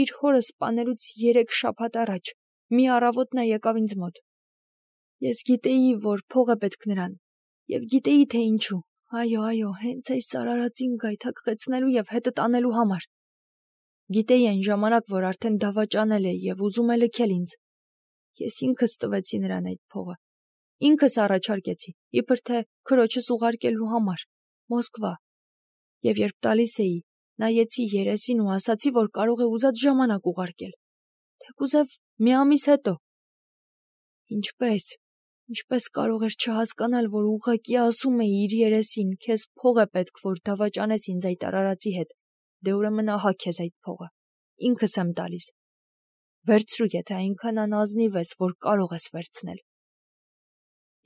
իր հորը սպանելուց 3 շաբաթ առաջ, մի առավոտ նա եկավ ինձ մոտ։ Ես գիտեի, որ փող է պետք նրան, եւ գիտեի, թե ինչու։ Այո, հենց այս արարածին գայթակղեցնելու եւ հետը տանելու համար։ Գիտեի այն ժամանակ, որ արդեն դավաճանել է եւ ուզում է լքել ինձ։ Ես ինքս տվեցի նրան այդ փողը։ Ինքս առաջարկեցի, իբր թե քրոջս ուղարկելու համար, Մոսկվա։ Եվ երբ տալիս էի, նայեցի երեսին ու ասացի, որ կարող է ուզած ժամանակ ուղարկել։ Թեկուզև մի ամիս հետո։ Ինչպես կարող էր չհասկանալ, որ ուղղակի ասում էի իր երեսին, քեզ փող է պետք, որ դավաճանես ինձ այդ արարածի հետ, դե ուրեմն ահա քեզ այդ փողը, ինքս եմ տալիս, վերցրու, եթե այնքան անազնիվ ես, որ կարող ես վերցնել։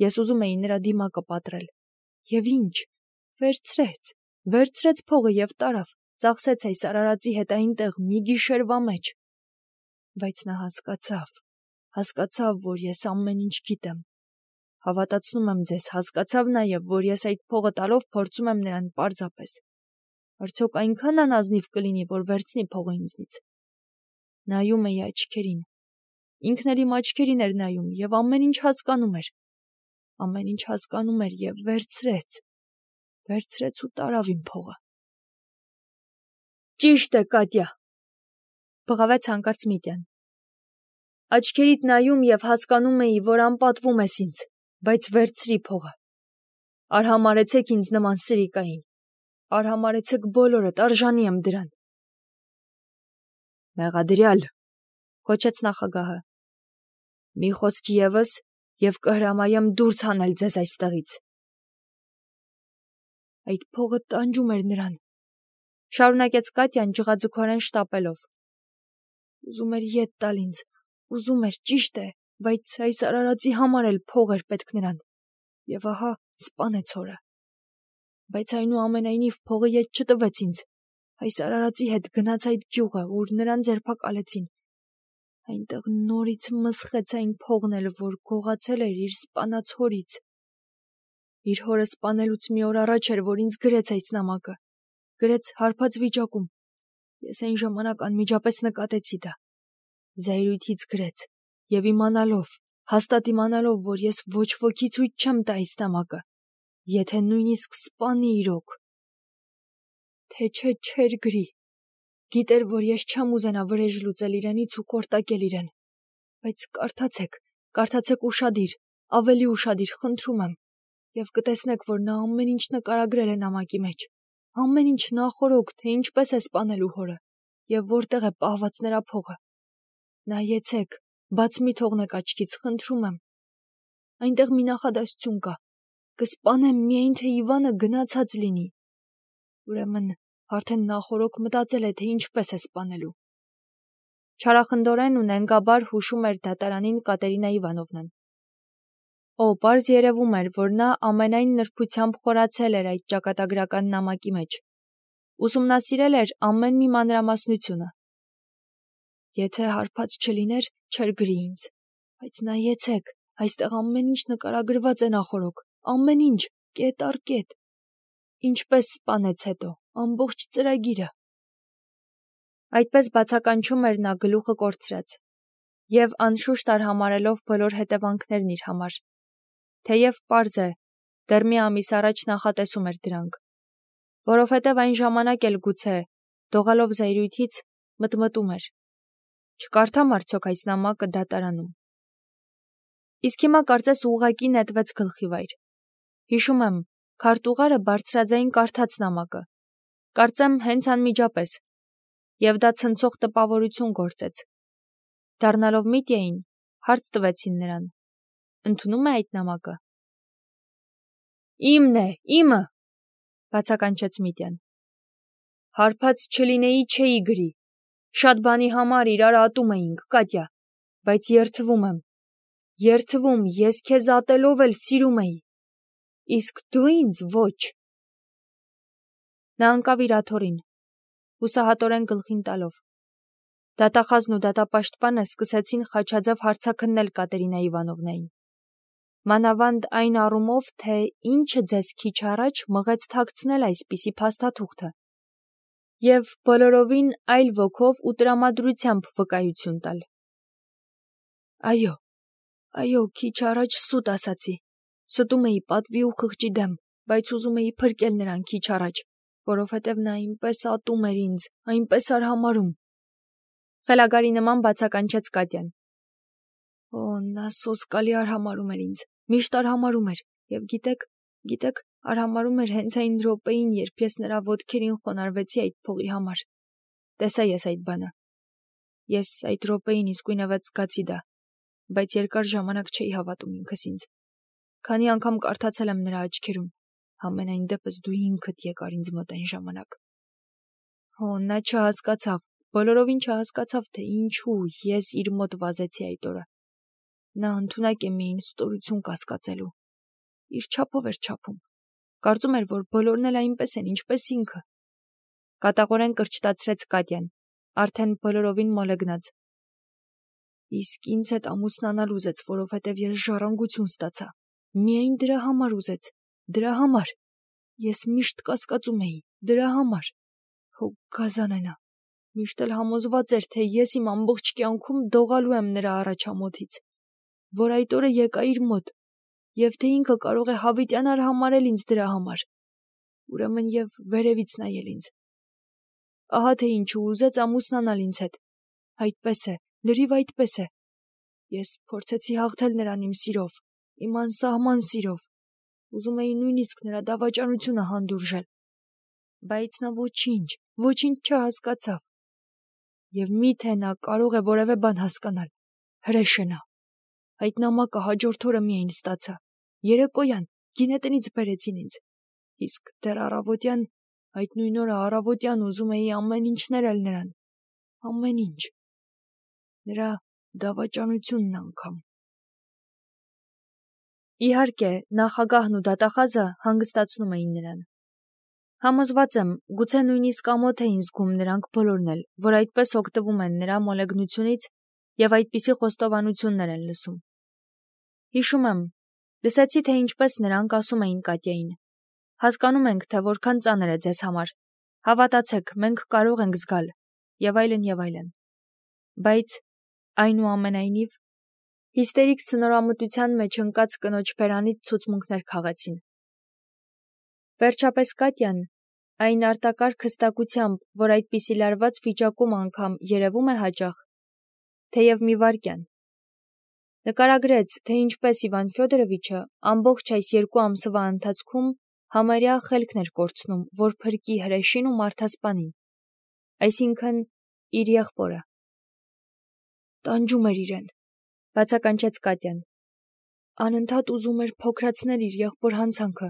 Ես ուզում էի նրա դիմակը պատռել, եւ ինչ, վերցրեց փողը եւ տարավ, ծախսեց այս արարածի հետ այնտեղ մի գիշերվա մեջ։ Բայց նա հասկացավ, որ ես ամեն ինչ գիտեմ։ Հավատացնում եմ ձեզ, հասկացավ նաև, որ ես այդ փողը տալով փորձում եմ նրան պարզապես։ Արդյոք այնքան անազնիվ կլինի, որ վերցնի փողը ինձնից։ Նայում էի աչքերին։ Ինքն էլ իմ աչքերին էր նայում եւ ամեն ինչ հասկանում էր։ Ամեն ինչ հասկանում էր եւ վերցրեց ու տարավ իմ փողը։ Ճիշտ է, Կատյա, բղավեց հանկարծ Միտյան։ Աչքերիդ նայում եւ հասկանում էի, որ անպատվում ես ինձ, բայց վերցրի փողը։ Արհամարհեցեք ինձ նման սրիկային։ Արհամարհեցեք բոլորդ, արժանի եմ դրան։ Մեղադրյալ, կոչեց նախագահը։ Մի խոսք եւս եւ կհրամայեմ դուրս հանել ձեզ այստեղից։ Այդ փողը տանջում էր նրան, շարունակեց Կատյան ջղաձգորեն շտապելով։ Ուզում էր ետ տալ ինձ, ուզում էր, ճիշտ է, բայց այս արարածի համար էլ փող էր պետք նրան։ Եվ ահա սպանեց հորը։ Բայց այնուամենայնիվ փողը ետ չտվեց ինձ։ Այս արարածի հետ գնաց այդ գյուղը, ուր նրան ձերբակալեցին։ Այնտեղ նորից մսխեց այն փողն էլ, որ գողացել էր իր սպանած հորից։ Իր հորը սպանելուց մի օր առաջ էր, որ ինձ գրեց այս նամակը։ Գրեց հարբած վիճակում։ Ես այն ժամանակ անմիջապես նկատեցի դա։ Զայրույթից գրեց, եւ հաստատ իմանալով, որ ես ոչ ոքի ցույց չեմ տա այս նամակը, եթե նույնիսկ սպանի իրոք։ Թե չէր գրի։ Գիտեր, որ ես չեմ ուզենա վրեժ լուծել իրենից ու խորտակել իրեն։ Բայց կարդացեք ուշադիր, ավելի ուշադիր, խնդրում եմ, եւ կտեսնեք, որ նա ամեն ինչ նկարագրել է նամակի մեջ։ Ամեն ինչ նախօրոք, թե ինչպես է սպանելու հորը, եւ որտեղ է պահված նրա փողը։ Նայեցեք, բաց մի թողնեք աչքից, խնդրում եմ։ Այնտեղ մի նախադասություն կա. կսպանեմ միայն թե Իվանը գնացած լինի։ Ուրեմն արդեն նախօրոք մտածել է, թե ինչպես է սպանելու։ Չարախնդորեն ու նենգաբար հուշում էր դատարանին Կատերինա Իվանովնան։ Պարզ երևում էր, որ նա ամենայն նրբությամբ խորացել էր այդ ճակատագրական նամակի մեջ։ Ուսումնասիրել էր ամեն մի մանրամասնությունը։ Եթե հարբած չլիներ, չէր գրի ինձ։ Բայց նայեցեք, այստեղ ամեն ինչ նկարագրված է նախօրոք, ամեն ինչ, կետ առ կետ։ Ինչպես սպանեց հետո, ամբողջ ծրագիրը։ Այդպես բացականչում էր նա գլուխը կորցրած եւ անշուշտ արհամարելով բոլոր հետևանքներն իր համար։ Թեև պարզ է, դեռ մի ամիս առաջ նախատեսում էր դրանք, որովհետև այն ժամանակ էլ գուցե, դողալով զայրույթից, մտմտում էր. չկարդամ արդյոք այս նամակը դատարանում։ Իսկ հիմա կարծես ուղղակի նետվեց գլխի վայր։ Հիշում եմ, քարտուղարը բարձրաձայն կարդաց նամակը, կարծեմ հենց անմիջապես, եւ դա ցնցող տպավորություն գործեց։ Դառնալով Միտյային, հարց տվեցին նրան. ընդունում է այդ նամակը։ Իմն է, իմը, բացականչեց Միտյան։ Հարբած չլինեի չէի գրի։ Շատ բանի համար իրար ատում էինք, Կատյա, բայց երդվում, ես քեզ ատելով էլ սիրում էի։ Իսկ դու ինձ ոչ։ Նա ընկավ իր աթոռին, հուսահատորեն գլխին տալով։ Դատախազն ու դատապաշտպանը սկսեցին խաչաձև հարցաքննել Կատերինա Իվանովնային։ Մանավանդ այն առումով, թե ինչը ձեզ քիչ առաջ մղեց թաքցնել այսպիսի փաստաթուղթը։ և բոլորովին այլ ոգով ու տրամադրությամբ վկայություն տալ։ Այո, քիչ առաջ սուտ ասացի, ստում էի պատվի ու խղճի դեմ, բայց ուզում էի փրկել նրան քիչ առաջ, որովհետև նա այնպես ատում էր ինձ, այնպես արհամարհում։ Խելագարի նման բացականչեց Կատյան։ Նա սոսկալի արհամարհում էր ինձ, միշտ արհամարհում էր, և գիտեք, արհամարհում էր հենց այն րոպեին, երբ ես նրա ոտքերին խոնարհվեցի այդ փողի համար։ Տեսա ես այդ բանը։ Ես այդ րոպեին իսկույնևեթ զգացի դա, բայց երկար ժամանակ չէի հավատում ինքս ինձ։ Քանի անգամ կարդացել եմ նրա աչքերում, համենայն դեպս դու ինքդ եկար ինձ մոտ այն ժամանակ։ Նա չհասկացավ, բոլորովին չհասկացավ, թե ինչու ես իր մոտ վազեցի այդ օրը։ Նա ընդունակ է միայն ստորություն կասկածելու։ Իր չափով էր չափում։ Կարծում էր, որ բոլորն էլ այնպես են, ինչպես ինքը։ Կատաղորեն կրճտացրեց Կատյան, արդեն բոլորովին մոլեգնած։ Իսկ ինձ հետ ամուսնանալ ուզեց, որովհետև ես ժառանգություն ստացա։ Միայն դրա համար ուզեց, դրա համար։ Ես միշտ կասկածում էի, դրա համար։ Հո գազանը նա։ Միշտ էլ համոզված էր, թե ես իմ ամբողջ կյանքում դողալու եմ նրա առաջամոթից, որ այդ օրը եկա իր մոտ, և թե ինքը կարող է հավիտյան արհամարհել ինձ դրա համար։ Ուրեմն և վերևից նայել ինձ։ Ահա թե ինչու ուզեց ամուսնանալ ինձ հետ։ Այդպես է, լրիվ այդպես է։ Ես փորձեցի հաղթել նրան իմ սիրով, իմ անսահման սիրով։ Ուզում էի նույնիսկ նրա դավաճանությունը հանդուրժել։ Բայց նա ոչինչ չհասկացավ։ Եվ միթե նա կարող է որևէ բան հասկանալ։ Հրեշ է նա։ Այդ նամակը հաջորդ օրը միայն ստացա։ Երեկոյան գինետնից բերեցին ինձ։ Իսկ դեռ առավոտյան, այդ նույն օրը առավոտյան ուզում էի ամեն ինչ ներել նրան։ Ամեն ինչ։ Նրա դավաճանությունն անգամ։ Իհարկե, նախագահն ու դատախազը հանգստացնում էին նրան։ Համոզված եմ, գուցե նույնիսկ ամոթ էին զգում նրանք բոլորն էլ, որ այդպես օգտվում են նրա մոլեգնությունից և այդպիսի խոստովանություններ են լսում։ Հիշում եմ, լսեցի, թե ինչպես նրանք ասում էին Կատյային. հասկանում ենք, թե որքան ծանր է ձեզ համար, հավատացեք, մենք կարող ենք զգալ, և այլն, և այլն։ Բայց, այնուամենայնիվ, հիստերիկ ցնորամտության մեջ ընկած կնոջ բերանից ցուցմունքներ քաղեցին։ Վերջապես Կատյան, այն արտակարգ հստակությամբ, որ այդպիսի լարված վիճակում անգամ երևում է հաճախ, թեև մի վայրկյան, նկարագրեց, թե ինչպես Իվան Ֆյոդորովիչը ամբողջ այս 2 ամսվա ընթացքում համարյա խելքն էր կորցնում, որ փրկի հրեշին ու մարդասպանին, այսինքն իր եղբորը։ Տանջում էր իրեն, բացականչեց Կատյան։ Անընդհատ ուզում էր փոքրացնել իր եղբոր հանցանքը,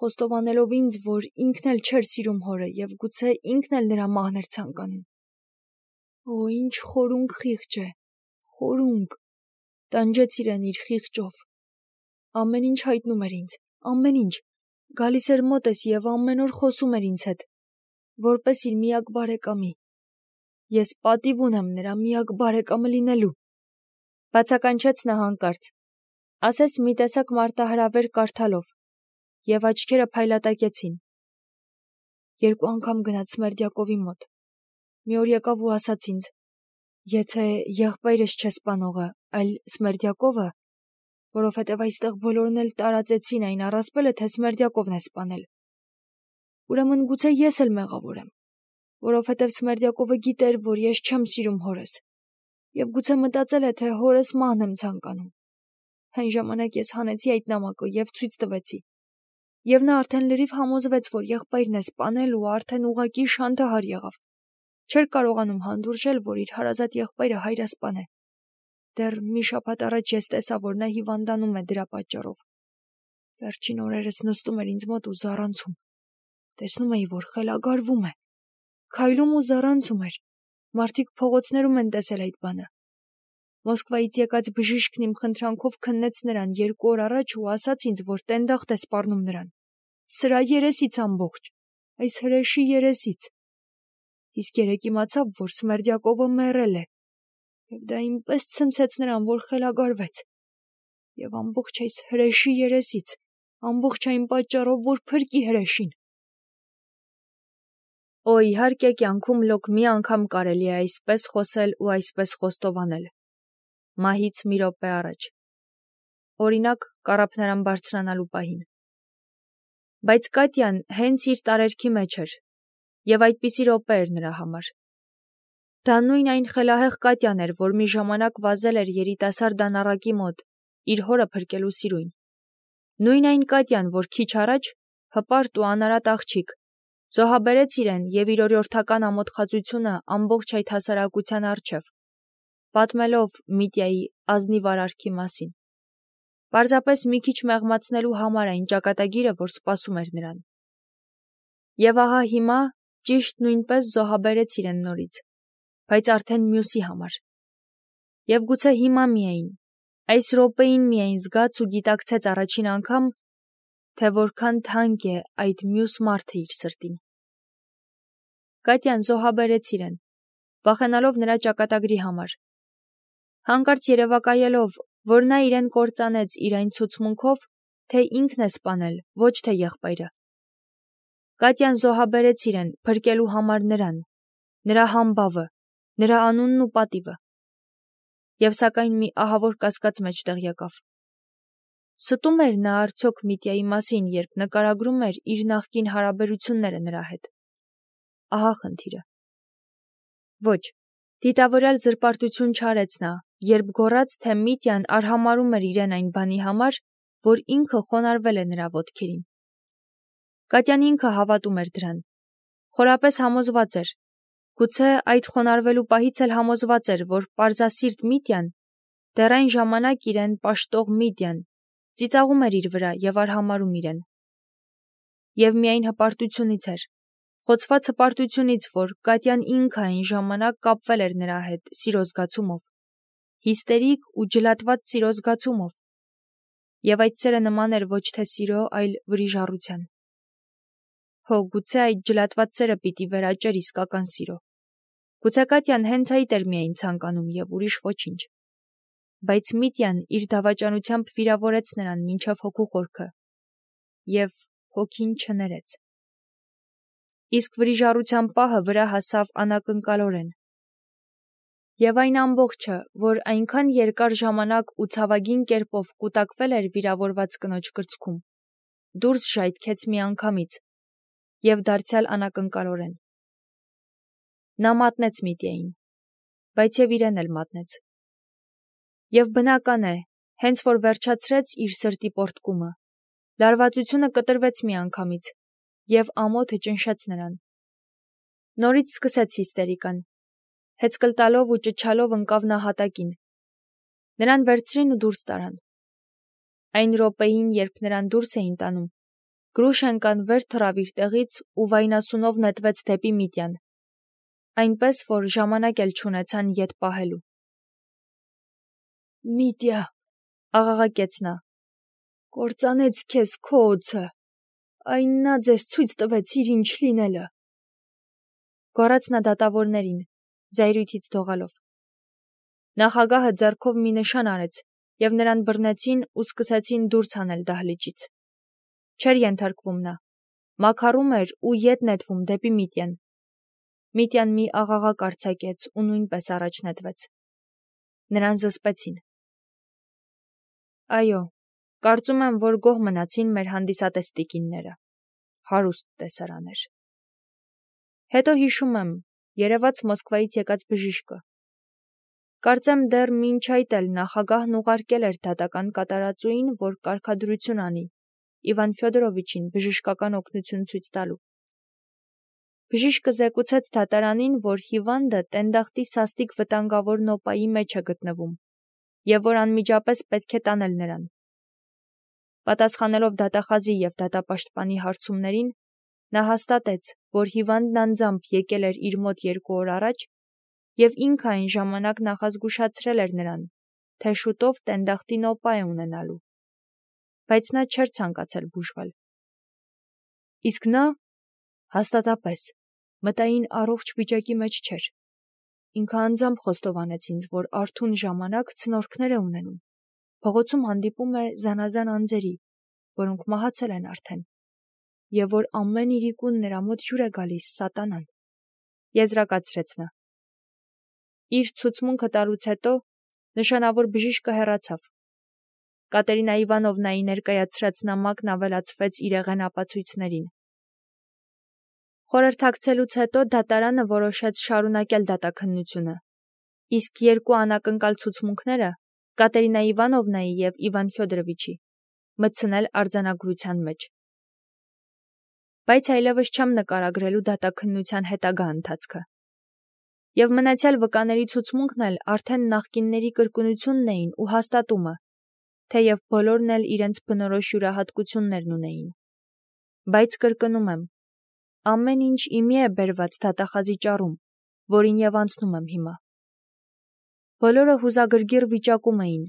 խոստովանելով ինձ, որ ինքն էլ չէր սիրում հորը և գուցե ինքն էլ նրա մահն էր ցանկանում։ Ինչ խորունկ խիղճ է, խորունկ։ Տանջեց իրեն իր խիղճով։ Ամեն ինչ հայտնում էր ինձ, ամեն ինչ։ Գալիս էր մոտս և ամեն օր խոսում էր ինձ հետ, որպես իր միակ բարեկամի։ Ես պատիվ ունեմ նրա միակ բարեկամը լինելու։ Բացականչեց նա հանկարծ, ասես մի տեսակ մարտահրավեր կարդալով, և աչքերը փայլատակեցին։ 2 անգամ գնաց Սմերդյակովի մոտ։ Մի օր եկավ ու ասաց ինձ. եթե եղբայրս չէ սպանողը, այլ Սմերդյակովը, որովհետև այստեղ բոլորն էլ տարածեցին այն առասպելը, թե Սմերդյակովն է սպանել, ուրեմն գուցե ես էլ մեղավոր եմ, որովհետև Սմերդյակովը գիտեր, որ ես չեմ սիրում հորս, և գուցե մտածել է, թե հորս մահն եմ ցանկանում։ Այն ժամանակ ես հանեցի այդ նամակը և ցույց տվեցի։ Եվ նա արդեն լրիվ համոզվեց, որ եղբայրն է սպանել ու արդեն ուղղակի շանթահար եղավ։ Չէր կարողանում հանդուրժել, որ իր հարազատ եղբայրը հայրասպան է։ Դեռ մի շաբաթ առաջ ես տեսա, որ նա հիվանդանում է դրա պատճառով։ Վերջին օրերս նստում էր ինձ մոտ ու զառանցում։ Տեսնում էի, որ խելագարվում է։ Քայլում ու զառանցում էր։ Մարդիկ փողոցներում են տեսել այդ բանը։ Մոսկվայից եկած բժիշկն իմ խնդրանքով քննեց նրան 2 օր առաջ ու ասաց ինձ, որ տենդախտ է սպառնում նրան։ Սրա երեսից ամբողջ, այս հրեշի երեսից։ Իսկ երեկ իմացավ, որ Սմերդյակովը մեռել է։ Եվ դա այնպես ցնցեց նրան, որ խելագարվեց։ Եվ ամբողջ այս հրեշի երեսից, ամբողջ այն պատճառով, որ փրկի հրեշին։ Օ, իհարկե կյանքում լոկ մի անգամ կարելի է այսպես խոսել ու այսպես խոստովանել։ Մահից մի րոպե առաջ։ Օրինակ, կառափնարան բարձրանալու պահին։ Բայց Կատյան հենց իր տարերքի մեջ էր, եւ այդպիսի րոպե էր նրա համար։ Դա նույն այն խելահեղ Կատյան էր, որ մի ժամանակ վազել էր երիտասարդ դանառակի մոտ, իր հորը փրկելու սիրույն։ Նույն այն Կատյան, որ քիչ առաջ, հպարտ ու անարատ աղջիկ, զոհաբերեց իրեն եւ իր օրիորդական ամոթխածությունը ամբողջ այդ հասարակության առջև, պատմելով Միտյայի ազնիվ արարքի մասին, պարզապես մի քիչ մեղմացնելու համար այն ճակատագիրը, որ սպասում էր նրան։ Եվ ահա հիմա ճիշտ նույնպես զոհաբերեց իրեն նորից, բայց արդեն մյուսի համար։ Եվ գուցե հիմա միայն, այս րոպեին միայն զգաց ու գիտակցեց առաջին անգամ, թե որքան թանկ է այդ մյուս մարդը իր սրտին։ Կատյան զոհաբերեց իրեն, վախենալով նրա ճակատագրի համար, հանկարծ երևակայելով, որ նա իրեն կործանեց իր այն ցուցմունքով, թե ինքն է սպանել, ոչ թե եղբայրը։ Կատյան զոհաբերեց իրեն, փրկելու համար նրան, նրա համբավը, նրա անունն ու պատիվը։ Եվ սակայն մի ահավոր կասկած մեջտեղ եկավ։ Ստում էր նա արդյոք Միտյայի մասին, երբ նկարագրում էր իր նախկին հարաբերությունները նրա հետ։ Ահա խնդիրը։ Ոչ, դիտավորյալ զրպարտություն չարեց նա, երբ գոռաց, թե Միտյան արհամարհում էր իրեն այն բանի համար, որ ինքը խոնարհվել է նրա ոտքերին։ Կատյան ինքը հավատում էր դրան, խորապես համոզված էր, գուցե այդ խոնարհվելու պահից էլ համոզված էր, որ պարզասիրտ Միտյան, դեռ այն ժամանակ իրեն պաշտող Միտյան, ծիծաղում էր իր վրա եւ արհամարհում իրեն։ Եվ միայն հպարտությունից էր, խոցված հպարտությունից, որ Կատյան ինքը այն ժամանակ կապվել էր նրա հետ սիրո զգացումով, հիստերիկ ու ջլատված սիրո զգացումով, եւ այդ սերը նման էր ոչ թե սիրո, այլ վրիժառության։ Հո, գուցե այդ ջլատված սերը պիտի վերաճեր իսկական սիրո։ Գուցե Կատյան հենց այդ էր միայն ցանկանում եւ ուրիշ ոչինչ։ Բայց Միտյան իր դավաճանությամբ վիրավորեց նրան մինչև հոգու խորքը եւ հոգին չներեց։ Իսկ վրիժառության պահը վրա հասավ անակնկալորեն։ Եվ այն ամբողջը, որ այնքան երկար ժամանակ ու ցավագին կերպով կուտակվել էր վիրավորված կնոջ կրծքում, դուրս ժայթքեց միանգամից եւ դարձյալ անակնկալորեն։ Նա մատնեց Միտյային, բայց եւ իրեն էլ մատնեց։ Եվ բնական է, հենց որ վերջացրեց իր սրտի պոռթկումը, լարվածությունը կտրվեց միանգամից եւ ամոթը ճնշեց նրան։ Նորից սկսեց հիստերիկան, հեծկլ տալով ու ճչալով ընկավ նա հատակին։ Նրան վերցրին ու դուրս տարան։ Այն րոպեին, երբ նրան դուրս էին տանում, Գրուշենկան վեր թռավ իր տեղից ու վայնասունով նետվեց դեպի Միտյան, այնպես որ ժամանակ էլ չունեցան ետ պահելու։ Միտյա, աղաղակեց նա, կործանեց քեզ քո օձը, այն նա ձեզ ցույց տվեց իր ինչ լինելը։ Գոռաց նա դատավորներին, զայրույթից դողալով։ Նախագահը ձեռքով մի նշան արեց, եւ նրան բռնեցին ու սկսեցին դուրս հանել դահլիճից։ Չէր ենթարկվում նա, մաքարում էր ու ետ նետվում դեպի Միտյան։ Միտյան մի աղաղակ արձակեց ու նույնպես առաջ նետվեց։ Նրան զսպեցին։ Այո, կարծում եմ, որ գոհ մնացին մեր հանդիսատես տիկինները։ Հարուստ տեսարան էր։ Հետո հիշում եմ, երևաց Մոսկվայից եկած բժիշկը։ Կարծեմ դեռ մինչ այդ էլ նախագահն ուղարկել էր դատական կատարածուին, որ կարգադրություն անի Իվան Ֆյոդորովիչին բժշկական օգնություն ցույց տալու։ Բժիշկը զեկուցեց դատարանին, որ հիվանդը տենդախտի սաստիկ վտանգավոր նոպայի մեջ է գտնվում եւ որ անմիջապես պետք է տանել նրան։ Պատասխանելով դատախազի եւ դատապաշտպանի հարցումներին, նա հաստատեց, որ հիվանդն անձամբ եկել էր իր մոտ 2 օր առաջ եւ ինքը այն ժամանակ նախազգուշացրել էր նրան, թե շուտով տենդախտի նոպա է ունենալու, բայց նա չէր ցանկացել բուժվել։ Իսկ նա, հաստատապես, մտային առողջ վիճակի մեջ չէր։ Ինքը անձամբ խոստովանեց ինձ, որ արթուն ժամանակ ցնորքներ է ունենում, փողոցում հանդիպում է զանազան անձերի, որոնք մահացել են արդեն, եւ որ ամեն իրիկուն նրա մոտ հյուր է գալիս սատանան։ Եզրակացրեց նա։ Իր ցուցմունքը տալուց հետո նշանավոր բժիշկը հեռացավ։ Կատերինա Իվանովնայի ներկայացրած նամակն ավելացվեց իրեղեն ապացույցներին։ Խորհրդակցելուց հետո դատարանը որոշեց շարունակել դատաքննությունը, իսկ երկու անակնկալ ցուցմունքները՝ Կատերինա Իվանովնայի և Իվան Ֆյոդորովիչի, մտցնել արձանագրության մեջ։ Բայց այլևս չեմ նկարագրելու դատաքննության հետագա ընթացքը։ Եվ մնացյալ վկաների ցուցմունքն էլ արդեն նախկինների կրկնությունն էին ու հաստատումը, թեև բոլորն էլ իրենց բնորոշ յուրահատկություններն ունեին։ Բայց կրկնում եմ, ամեն ինչ իմի է բերված դատախազի ճառում, որին և անցնում եմ հիմա։ Բոլորը հուզագրգիռ վիճակում էին,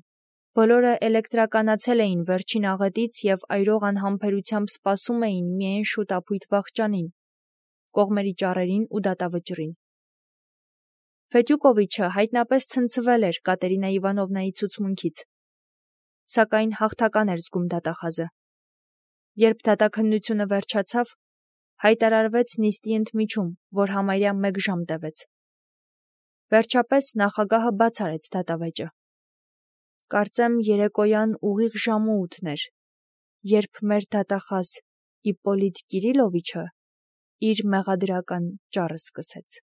բոլորը էլեկտրականացել էին վերջին աղետից և այրող անհամբերությամբ սպասում էին միայն շուտապույտ վախճանին, կողմերի ճառերին ու դատավճռին։ Ֆետյուկովիչը հայտնապես ցնցվել էր Կատերինա Իվանովնայի ցուցմունքից, սակայն հաղթական էր զգում դատախազը։ Երբ դատաքննությունը վերջացավ, հայտարարվեց նիստի ընդմիջում, որ համարյա 1 ժամ տևեց։ Վերջապես նախագահը բաց արեց դատավեճը։ Կարծեմ երեկոյան ուղիղ ժամը 8-ն էր, երբ մեր դատախազ Իպպոլիտ Կիրիլովիչը իր մեղադրական ճառը սկսեց։